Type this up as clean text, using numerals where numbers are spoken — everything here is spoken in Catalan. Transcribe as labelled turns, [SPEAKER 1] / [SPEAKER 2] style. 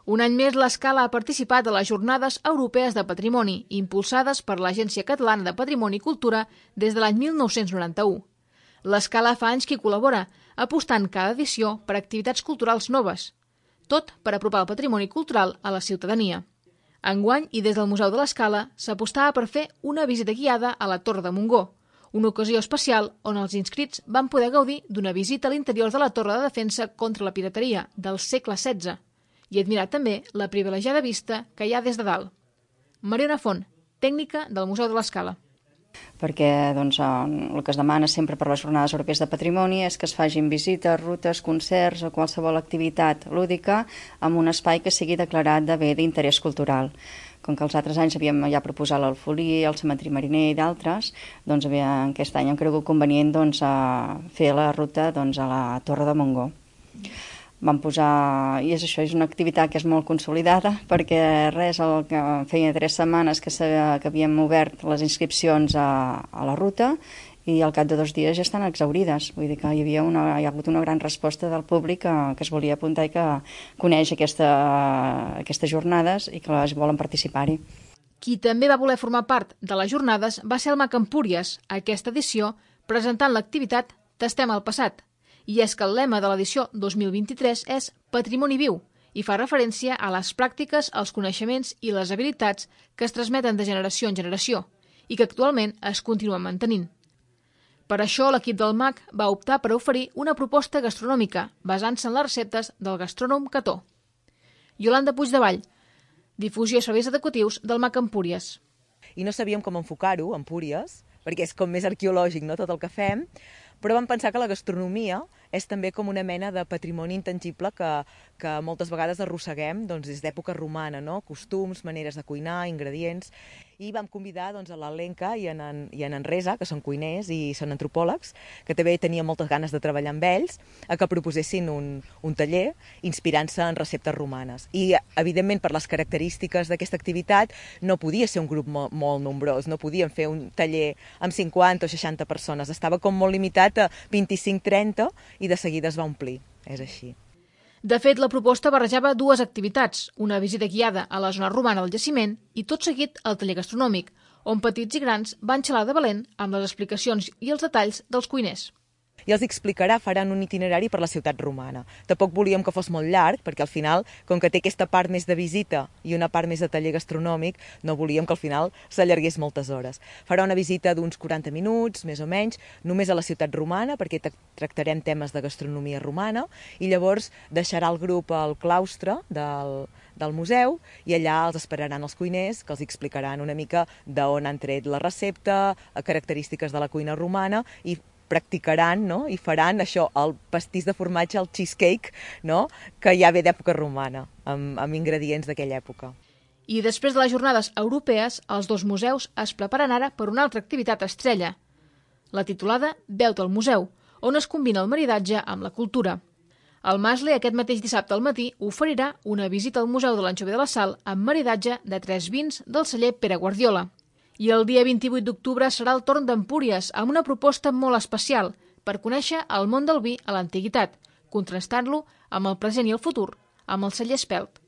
[SPEAKER 1] Un any més, l'Escala ha participat a les Jornades Europees de Patrimoni, impulsades per l'Agència Catalana de Patrimoni i Cultura des de l'any 1991. L'Escala fa anys que hi col·labora, apostant cada edició per activitats culturals noves, tot per apropar el patrimoni cultural a la ciutadania. Enguany, i des del Museu de l'Escala, s'apostava per fer una visita guiada a la Torre de Montgó, una ocasió especial on els inscrits van poder gaudir d'una visita a l'interior de la Torre de Defensa contra la pirateria del segle XVI i admirar també la privilegiada vista que hi ha des de dalt. Mariona Font, tècnica del Museu de l'Escala.
[SPEAKER 2] Perquè el que es demana sempre per les Jornades Europees de Patrimoni és que es facin visites, rutes, concerts o qualsevol activitat lúdica amb un espai que sigui declarat de bé d'interès cultural. Com que els altres anys havíem ja proposat l'Alfolí, el Cementiri Mariner i d'altres, aquest any hem cregut convenient fer la ruta a la Torre de Montgó. Vam posar, i és això, és una activitat que és molt consolidada, perquè feia 3 setmanes que havíem obert les inscripcions a la ruta i al cap de 2 dies ja estan exhaurides. Vull dir que hi ha hagut una gran resposta del públic que es volia apuntar i que coneix aquestes jornades i que volen participar-hi.
[SPEAKER 1] Qui també va voler formar part de les jornades va ser el MAC Empúries, aquesta edició, presentant l'activitat Tastem el passat. I és que el lema de l'edició 2023 és Patrimoni viu i fa referència a les pràctiques, els coneixements i les habilitats que es transmeten de generació en generació i que actualment es continuen mantenint. Per això l'equip del MAC va optar per oferir una proposta gastronòmica basant-se en les receptes del gastrònom Cató. Iolanda Puigdevall, difusió i serveis educatius del MAC Empúries.
[SPEAKER 3] I no sabíem com enfocar-ho, Empúries, perquè és com més arqueològic, no?, tot el que fem, però vam pensar que la gastronomia és també com una mena de patrimoni intangible que moltes vegades arrosseguem des d'època romana, no? Costums, maneres de cuinar, ingredients, i vam convidar a l'Alenka i en Resa, que són cuiners i són antropòlegs, que també tenien moltes ganes de treballar amb ells, a que proposessin un taller inspirant-se en receptes romanes. I, evidentment, per les característiques d'aquesta activitat, no podia ser un grup molt nombrós, no podíem fer un taller amb 50 o 60 persones, estava com molt limitat a 25-30 i de seguida es va omplir, és així.
[SPEAKER 1] De fet, la proposta barrejava 2 activitats, una visita guiada a la zona romana del jaciment i tot seguit el taller gastronòmic, on petits i grans van xalar de valent amb les explicacions i els detalls dels cuiners.
[SPEAKER 3] I els explicarà, faran un itinerari per la ciutat romana. Tampoc volíem que fos molt llarg, perquè al final, com que té aquesta part més de visita i una part més de taller gastronòmic, no volíem que al final s'allargués moltes hores. Farà una visita d'uns 40 minuts, més o menys, només a la ciutat romana, perquè tractarem temes de gastronomia romana, i llavors deixarà el grup al claustre del museu i allà els esperaran els cuiners que els explicaran una mica d'on han tret la recepta, característiques de la cuina romana i practicaran, no?, i faran això, el pastís de formatge, el cheesecake, no?, que ja ve d'època romana, amb ingredients d'aquella època.
[SPEAKER 1] I després de les jornades europees, els 2 museus es preparen ara per una altra activitat estrella, la titulada Veu-te al museu, on es combina el maridatge amb la cultura. El Masle, aquest mateix dissabte al matí, oferirà una visita al Museu de l'Anxovi de la Sal amb maridatge de 3 vins del celler Pere Guardiola. I el dia 28 d'octubre serà el torn d'Empúries amb una proposta molt especial per conèixer el món del vi a l'antiguitat, contrastant-lo amb el present i el futur, amb el celler Espelt.